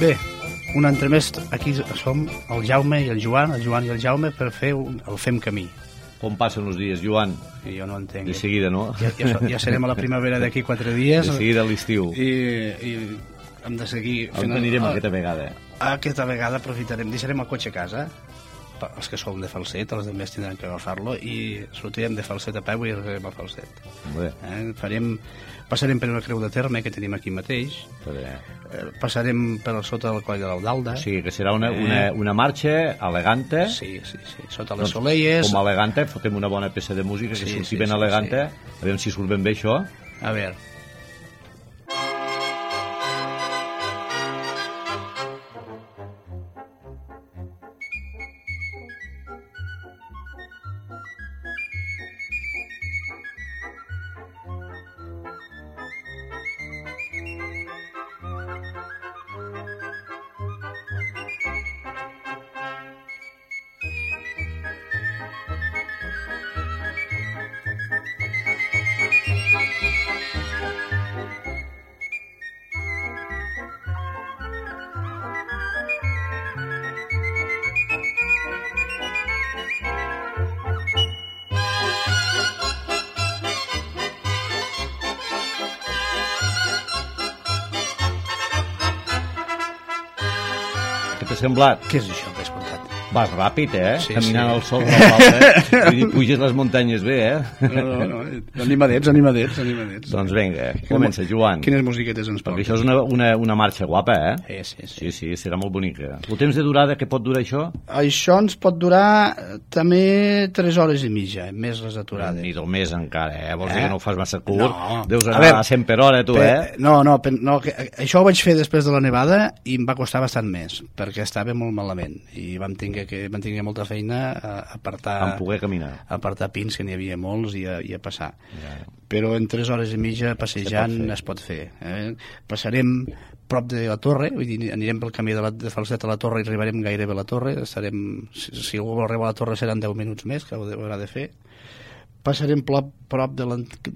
Bé, un altre més, aquí som el Jaume i el Joan i el Jaume per fer el Fem Camí. Com passen els dies, Joan? I jo no entenc. De seguida, no? Ja serem a la primavera d'aquí 4 dies. De seguida a l'estiu. I hem de seguir fent... On anirem aquesta vegada? Aquesta vegada aprofitarem, deixarem el cotxe a casa, els que som de Falset, els altres tindran que agafar-lo, i sortirem de Falset a peu i arribarem a Falset. Passarem per una creu de terme que tenim aquí mateix, passarem per sota del coll de l'Aldalda. O sigui, que serà una marxa elegante. Sí, sota les Soleies. Com a elegante, fotem una bona peça de música, que surti ben elegante. A veure si surt ben bé això. A veure. Què t'ha semblat? Què és això que has contat? Vas ràpid, Sí, caminant sí. al sol de l'alta. Vull dir, puges les muntanyes bé, No, animadets. Doncs vinga, comença, Joan. Quines musiquetes ens Perquè portes? això és una marxa guapa, Sí. Sí, serà molt bonica. El temps de durada, què pot durar això? Això ens pot durar també 3 hores i mitja, més les aturades. Ni del mes encara, Vols dir que no ho fas massa curt? No. Deus A anar veure, a 100 per hora, tu, No, això ho vaig fer després de la nevada i em va costar bastant més, perquè estava molt malament i vam tenir molta feina a Vam poder caminar. apartar pins, que n'hi havia molts, i a passar. Ja. Però en 3 hores i mitja passejant es pot fer. Passarem prop de la torre, vull dir, anirem pel camí de Falset a la torre i arribarem gairebé a la torre. Si algú vol arribar a la torre seran 10 minuts més, que ho haurà de fer. Passarem prop de l'antic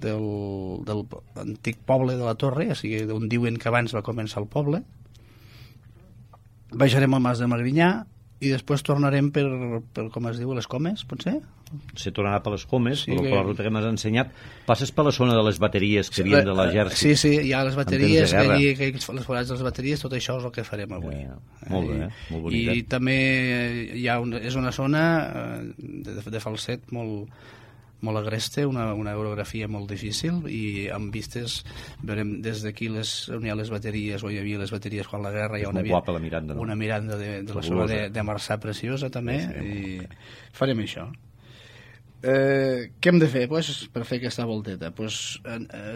poble de la torre, o sigui, on diuen que abans va començar el poble. Baixarem al Mas de Magrinyà i després tornarem per com es diu, les Comes, potser? Se tornarà per les Comes, Sí, per la ruta que m'has ensenyat. Passes per la zona de les bateries que havien de l'exèrcit. Sí, hi ha les bateries, En temps de que les forats de les bateries, tot això és el que farem avui. Molt bé, molt bonica. I també és una zona de Falset molt agreste, una orografia molt difícil, i amb vistes veurem des d'aquí on hi ha les bateries, o hi havia les bateries quan la guerra, hi ha molt guapa la Miranda, no? Una Miranda de la zona de Marçà preciosa també, i farem això. Què hem de fer per fer aquesta volteta?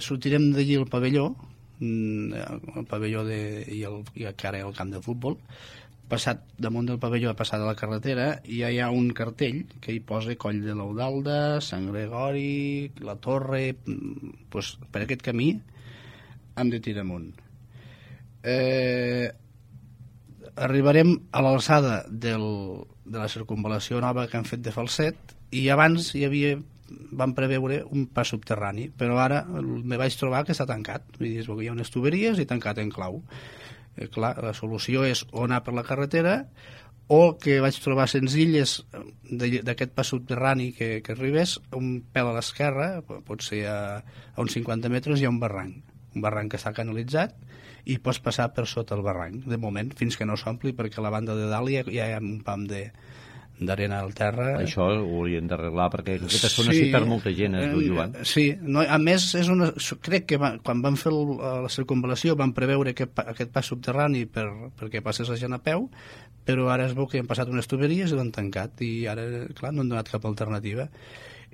Sortirem d'allí al pavelló, el pavelló i ara el camp de futbol. Passat damunt del pavelló, a passar de la carretera, i ja hi ha un cartell que hi posa Coll de l'Eudalda, Sant Gregori, la Torre. Per aquest camí hem de tirar amunt. Arribarem a l'alçada de la circunvalació nova que han fet de Falset, i abans vam preveure un pas subterrani, però ara me vaig trobar que està tancat. Hi ha unes tuberies i tancat en clau. Clar, la solució és o anar per la carretera, o que vaig trobar senzill és d'aquest pas subterrani que arribés un pèl a l'esquerra, potser a uns 50 metres hi ha un barranc que està canalitzat, i pots passar per sota el barranc, de moment, fins que no s'ompli, perquè a la banda de dalt ja hi ha un pam d'arena al terra. Això ho haurien d'arreglar, perquè aquesta zona s'hi perd molta gent, Joan. Sí, a més, crec que quan van fer la circunvalació van preveure aquest pas subterrani perquè passés la gent a peu, però ara es veu que han passat unes tuberies i l'han tancat, i ara, clar, no han donat cap alternativa.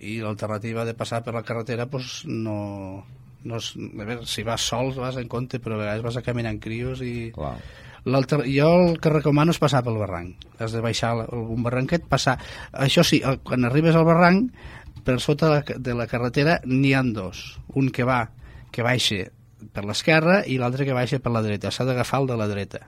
I l'alternativa de passar per la carretera, doncs no... A veure, si vas sols vas en compte, però a vegades vas a caminar en crios i... Clar. Jo el que recomano és passar pel barranc. Has de baixar un barranquet, passar. Això sí, quan arribes al barranc, per sota de la carretera n'hi ha dos. Un que baixa per l'esquerra i l'altre que baixa per la dreta. S'ha d'agafar el de la dreta.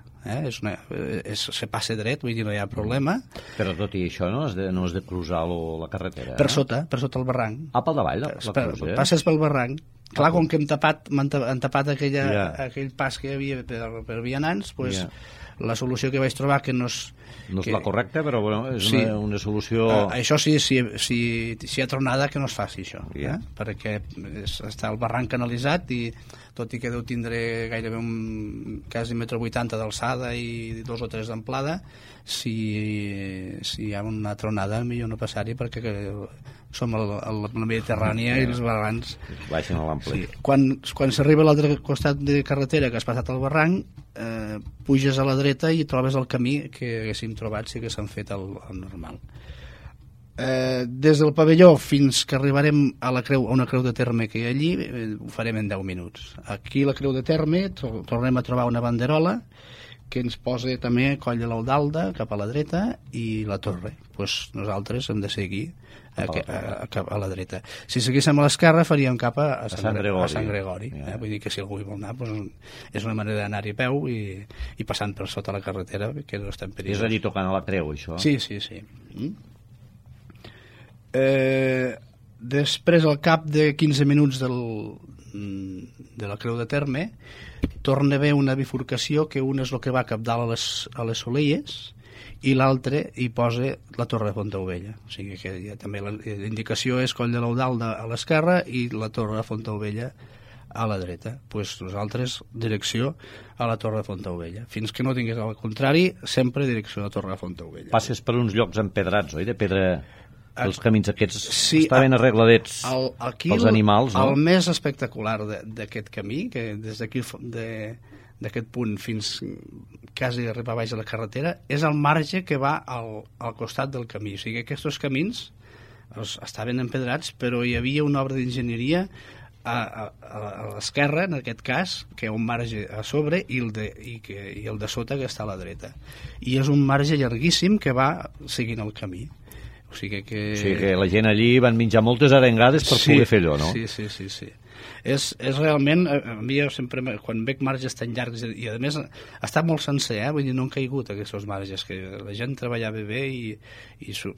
Se passa dret, vull dir, no hi ha problema. Però tot i això no has de cruzar la carretera? Per sota el barranc. Pel davall la cruz, Passes pel barranc Clar, com que han tapat aquell pas que hi havia per vianants, doncs la solució que vaig trobar, que no és... No és la correcta, però bueno, és una solució... Això sí, si hi ha tronada, que no es faci això, perquè està el barranc canalitzat i tot i que deu tindre gairebé quasi 1,80 m d'alçada i 2 o 3 d'amplada, si hi ha una tronada millor no passar-hi, perquè som a la Mediterrània i els barrancs baixen a l'ample. Quan s'arriba a l'altre costat de carretera, que has passat el barranc, puges a la dreta i trobes el camí que haguéssim trobat si haguéssim fet el normal. Des del pavelló fins que arribarem a una creu de terme que hi ha allí, ho farem en 10 minuts. Aquí la creu de terme tornem a trobar una banderola que ens posa també Coll de l'Eudalda cap a la dreta i la torre. Nosaltres hem de seguir cap a la dreta. Si seguíssim a l'esquerra faríem cap a Sant Gregori. Vull dir que si algú hi vol anar, és una manera d'anar-hi a peu i passant per sota la carretera, que no estem perillós. És allí tocant a la creu, això? Sí. Després, al cap de 15 minuts de la creu de terme, torna a haver una bifurcació que una és el que va cap dalt a les Solelles i l'altre hi posa la Torre de Fontaubella. O sigui que també la indicació és Coll de l'Eudalda a l'esquerra i la Torre de Fontaubella a la dreta. Nosaltres direcció a la Torre de Fontaubella. Fins que no tingués al contrari, sempre direcció a la Torre de Fontaubella. Passes per uns llocs empedrats, oi? De pedra... Els camins aquests estaven arregladets pels animals, no? El més espectacular d'aquest camí, que des d'aquí d'aquest punt fins quasi arribar baix a la carretera, és el marge que va al costat del camí. O sigui, aquests camins estaven empedrats, però hi havia una obra d'enginyeria a l'esquerra, en aquest cas, que hi ha un marge a sobre i el de sota que està a la dreta. I és un marge llarguíssim que va seguint el camí. O sigui que la gent allí van menjar moltes arengades per poder fer allò, no? Sí. És realment, a mi sempre, quan veig marges tan llargs, i a més està molt sencer, vull dir, no han caigut aquests marges, que la gent treballava bé i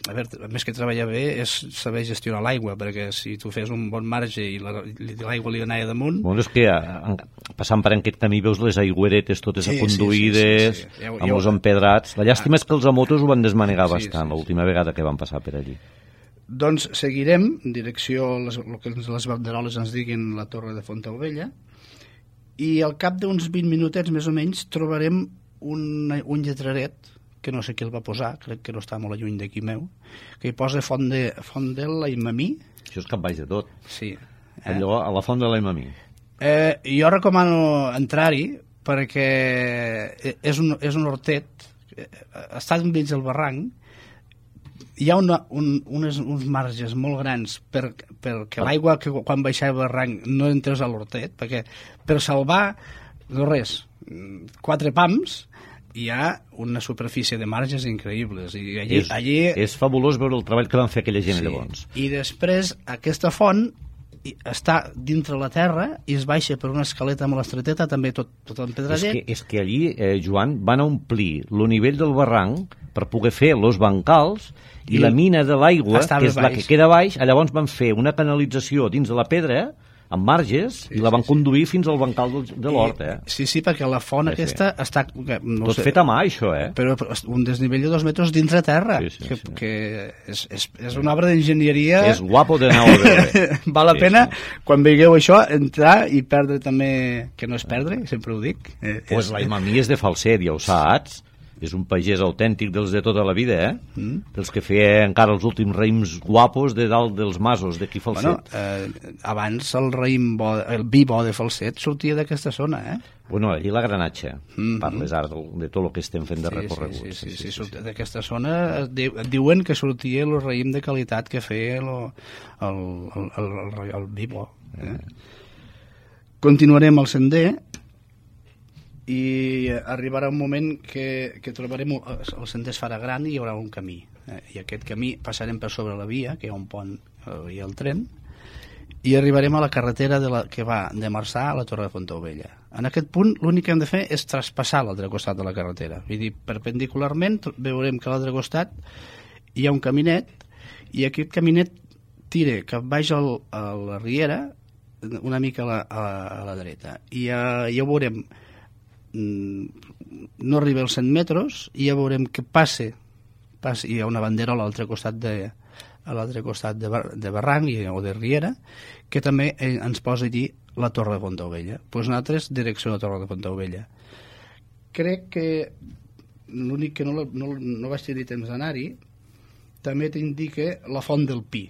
a veure, més que treballar bé és saber gestionar l'aigua, perquè si tu fes un bon marge i l'aigua li anava damunt... Bueno, és que passant per aquest camí veus les aigüeretes totes aconduïdes, amb els empedrats. La llàstima és que els motos ho van desmanegar bastant l'última vegada que van passar per allí. Doncs seguirem en direcció el que les banderoles ens diguin la Torre de Fontaubella i al cap d'uns 20 minutets més o menys trobarem un lletraret que no sé qui el va posar, crec que no està molt lluny d'aquí meu, que hi posa Font de l'Aimamí. Això és cap baix de tot. Sí. Allò a la Font de l'Aimamí. Jo recomano entrar-hi perquè és un hortet, està dins el barranc. Hi ha uns marges molt grans perquè l'aigua que quan baixava el barranc no entrés a l'hortet, perquè per salvar no res, 4 pams hi ha una superfície de marges increïbles i allí és fabulós veure el treball que van fer aquella gent llavors. I després aquesta font està dintre la terra i es baixa per una escaleta molt estreteta, també tot empedradet. És que allí, Joan, van omplir el nivell del barranc per poder fer los bancals i la mina de l'aigua, que és la que queda baix, llavors van fer una canalització dins de la pedra amb marges i la van conduir fins al bancal de l'hort. Sí, perquè la font aquesta està... Tot fet a mà, això, però un desnivell de 2 metres dintre terra, que és una obra d'enginyeria... És guapo d'anar a veure. Val la pena, quan veieu això, entrar i perdre també... Que no és perdre, sempre ho dic. Pues l'Aimamí és de Falset, ja ho saps. És un pagès autèntic dels de tota la vida, dels que feia encara els últims raïms guapos de dalt dels masos d'aquí Falset. Abans el vi bo de Falset sortia d'aquesta zona, Bueno, allí la Granatxa, parles ara de tot el que estem fent de recorregut. Sí, d'aquesta zona diuen que sortia el raïm de qualitat que feia el vi bo. Continuarem el sender i arribarà un moment que trobarem el sender es farà gran i hi haurà un camí i aquest camí passarem per sobre la via, que hi ha un pont i el tren, i arribarem a la carretera que va de Marçà a la Torre de Fontaubella. En aquest punt l'únic que hem de fer és traspassar l'altre costat de la carretera, vull dir, perpendicularment veurem que a l'altre costat hi ha un caminet i aquest caminet tira cap baix a la riera una mica a la dreta, i ja ho veurem, no arriba als 100 metres, i ja veurem que hi ha una bandera a l'altre costat de barranc o de riera, que també ens posa allí la Torre de Fontaubella. Doncs nosaltres, direcció a la Torre de Fontaubella. Crec que l'únic que no vaig tenir temps d'anar-hi, també t'indica la Font del Pi,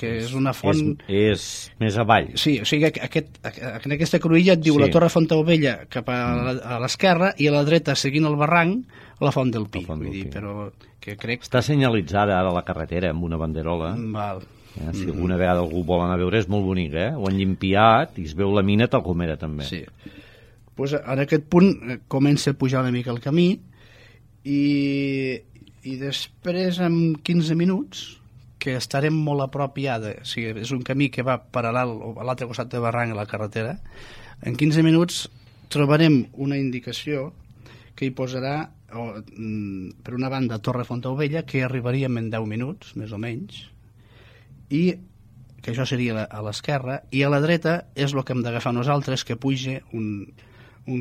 que és una font... És més avall. Sí, o sigui, en aquesta cruïlla et diu la Torre de Fontaubella cap a l'esquerra i a la dreta, seguint el barranc, la Font del Pi. Però que crec... Està senyalitzada ara la carretera amb una banderola. Val. Si alguna vegada algú vol anar a veure, és molt bonic, eh? Ho han llimpiat i es veu la mina tal com era, també. Sí. Pues en aquest punt comença a pujar una mica el camí i després, en 15 minuts, que estarem molt a prop ja, o sigui, és un camí que va paral·lel a l'altre costat de barranc a la carretera, en 15 minuts trobarem una indicació que hi posarà, per una banda, Torre Fontaubella, que arribaríem en 10 minuts, més o menys, i que això seria a l'esquerra, i a la dreta és el que hem d'agafar nosaltres, que puja un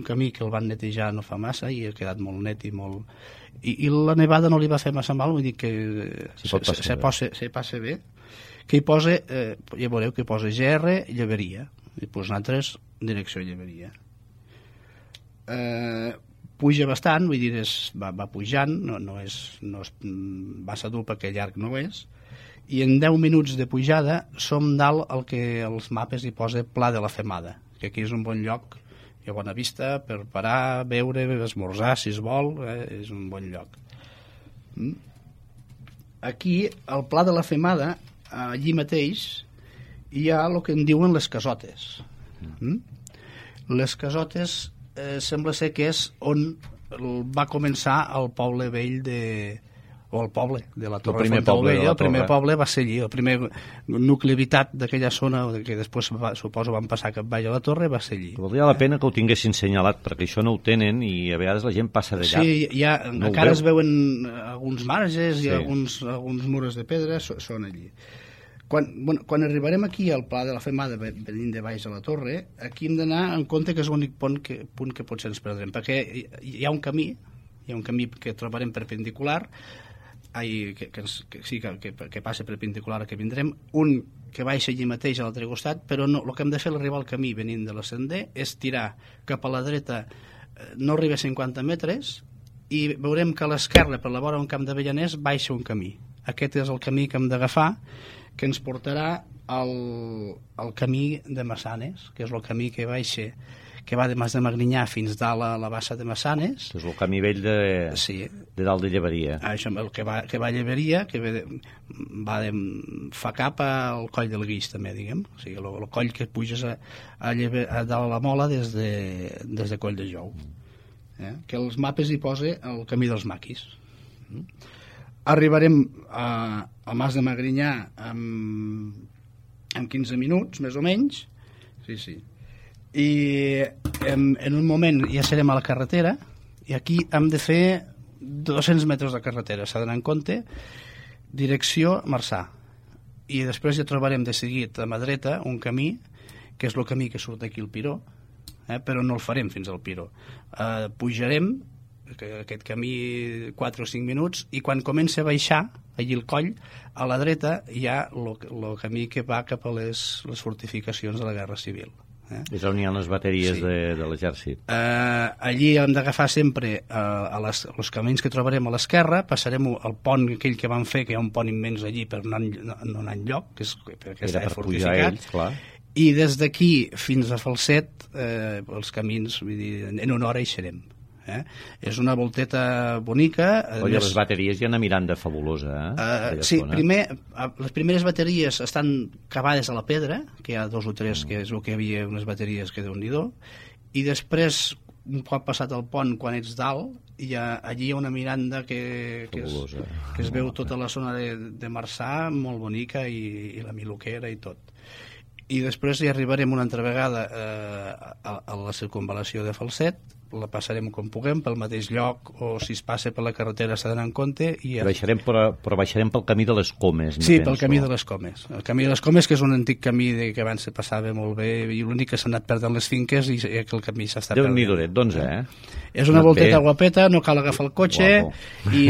camí que el van netejar no fa massa i ha quedat molt net i molt... I la nevada no li va fer massa mal, vull dir que se passa bé, que hi posa, ja veureu que hi posa GR Lleberia, i doncs nosaltres direcció Lleberia. Puja bastant, vull dir, va pujant, no és massa dur perquè llarg no és, i en 10 minuts de pujada som dalt el que els mapes hi posa Pla de la Femada, que aquí és un bon lloc, hi ha bona vista per parar, beure, esmorzar si es vol, és un bon lloc. Aquí, al Pla de la Femada, allí mateix, hi ha el que en diuen les casotes. Les casotes sembla ser que és on va començar el poble vell o el poble de la Torre de Fontaubella. El primer poble va ser allí, el primer nucli habitat d'aquella zona que després suposo van passar cap baix a la torre, va ser allí. Valdria la pena que ho tinguessin senyalat, perquè això no ho tenen i a vegades la gent passa de llarg. Sí, encara es veuen alguns marges i alguns murs de pedra són allí. Quan arribarem aquí al Pla de la Femada, venint de baix a la torre, aquí hem d'anar en compte que és l'únic punt que potser ens perdrem, perquè hi ha un camí que trobarem perpendicular, que passa perpendicular que vindrem, un que baixa allí mateix a l'altre costat, però no, el que hem de fer al arribar al camí venint de l'ascender és tirar cap a la dreta, no arriba a 50 metres, i veurem que a l'esquerra, per la vora d'un camp d'avellaners, baixa un camí. Aquest és el camí que hem d'agafar, que ens portarà al camí de Massanes, que és el camí que baixa, que va de Mas de Magrinyà fins dalt a la bassa de Massanes. És el camí vell de dalt de Lleberia. Això, el que va a Lleberia, que fa cap al Coll del Guix, també, diguem. O sigui, el coll que puges a dalt a la Mola des de Coll de Jou. Que els mapes hi posa el camí dels maquis. Arribarem a Mas de Magrinyà en 15 minuts, més o menys. Sí. I en un moment ja serem a la carretera, i aquí hem de fer 200 metres de carretera, s'ha d'anar en compte, direcció Marçà. I després ja trobarem de seguit a mà dreta un camí, que és el camí que surt aquí al Piró, però no el farem fins al Piró. Pujarem aquest camí 4 o 5 minuts, i quan comença a baixar allí el coll, a la dreta hi ha el camí que va cap a les fortificacions de la Guerra Civil. És on hi ha les bateries de l'exèrcit. Allí hem d'agafar sempre els camins que trobarem a l'esquerra, passarem al pont aquell que van fer, que hi ha un pont immens allí per no anar enlloc, que està fortificat, i des d'aquí fins a Falset els camins, vull dir, en una hora hi serem. És una volteta bonica. Les bateries hi ha una miranda fabulosa. Sí, les primeres bateries estan cavades a la pedra, que hi ha 2 o 3, que és el que hi havia unes bateries que Déu-n'hi-do, i després, un cop passat el pont, quan ets dalt, allí hi ha una miranda que es veu tota la zona de Marçà, molt bonica, i la Miloquera i tot. I després hi arribarem una altra vegada a la circunvalació de Falset, la passarem com puguem, pel mateix lloc, o si es passa per la carretera s'ha d'anar en compte. Però baixarem pel camí de les Comes, sí, pel camí de les Comes. El camí de les Comes, que és un antic camí que abans se passava molt bé, i l'únic que s'ha anat perdent les finques i que el camí s'està perdent. Déu-n'hi-do, doncs, És una volteta guapeta, no cal agafar el cotxe, i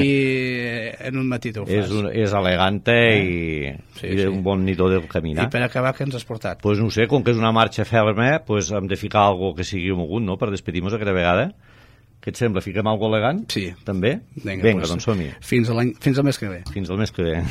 en un matí t'ho fas. És elegante i un bon nidó del caminar. I per acabar, què ens has portat? Doncs no sé, com que és una marxa ferma, hem de ficar algo que sigui mogut, no?, per despedir-nos aquella vegada. Què et sembla? Fiquem algo elegant? Sí. També? Vinga, doncs som-hi. Fins al mes que ve. Fins al mes que ve.